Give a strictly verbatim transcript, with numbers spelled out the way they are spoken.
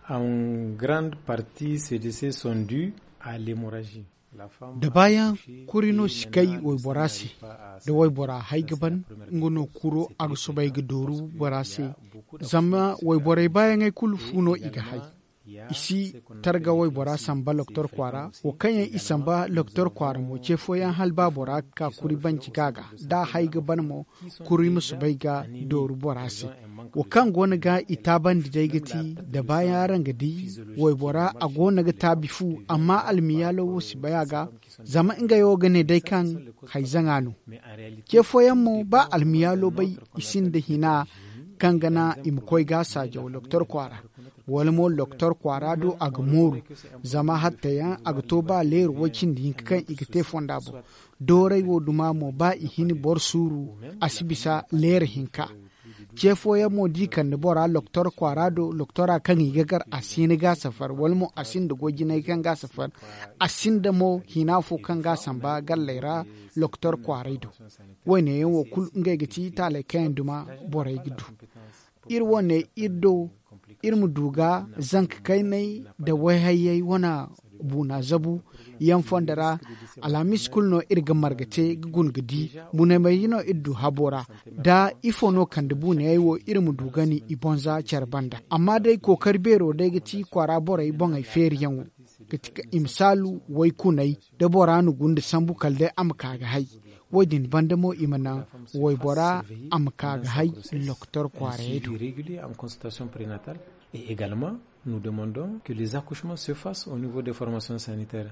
En grande partie ces décès sont dus à l'hémorragie. Da baayaŋ kuri no si kay waybora se. Da waybora hay ga ban, nga no kuro a ga soobay ga dooru bora se. Zama wayborey baayaŋey kulu fu no i ga hay. I si targa waybora samba doktor kwaara. Wo kaŋ yaŋ i samba doktor kwaara mo ce fooyaŋ hala ba bora ga ka kuri banci ga a ga da a hay ga ban mo, kuri ma soobay ga dooru bora se. Wo kaŋ go no ga i taabandi day ga ti da baayaŋ araŋ ga di waybora a go no ga taabi fu, amma almiyaalo wo si bay a ga. Zama ngey wo ga ne day kaŋ hay zaŋa no. Ce fooyaŋ mo ba almiyaalo bay, i sinda hina kaŋ ga naŋ i ma koy ga a saajaw doktor kwaara. Wala mo doktor kwaara do a ga mooru. Zama hatta yaŋ a ga to ba leero way cindi hinka kaŋ i ga te fonda boŋ. Dooray wo duma mo ba i hin boro suuru, a si bisa leero hinka. Ce fooyaŋ mo da i kande bora doktor kwaara do doktora kaŋ i ga gar a si hin ga a safar wala mo a sinda goy jinay kaŋ ga a safar. A sinda mo hina fo kaŋ ga a samba galley ra doktor kwaaray do. Wo- ne yaŋ wo kulu ngey ga ti taaley kaŋ yaŋ duma borey ga du. Iri wo- ne iri do iri ma du ga zanka kayney nda wayhayyey wane buuna zabu yaŋ fondo ra. Alhamis kulu no iri ga marga te ga guna ga di buunamayey no iri du habo ra. Da ifo no kande buunayey wo iri ma du gani i bonza care banda amma day kookari beero day ga ti kwaara borey boŋey feeriyaŋo ga ti ka i ma saalu waykuney da bora na gunda sambu kala day a ma ka ga hay. Wo- din banda mo i ma naŋ waybora a ma ka ga hay doktor kwaarayey do. Régulier en consultation prénatale et également nous demandons que les accouchements se fassent au niveau des formations sanitaires.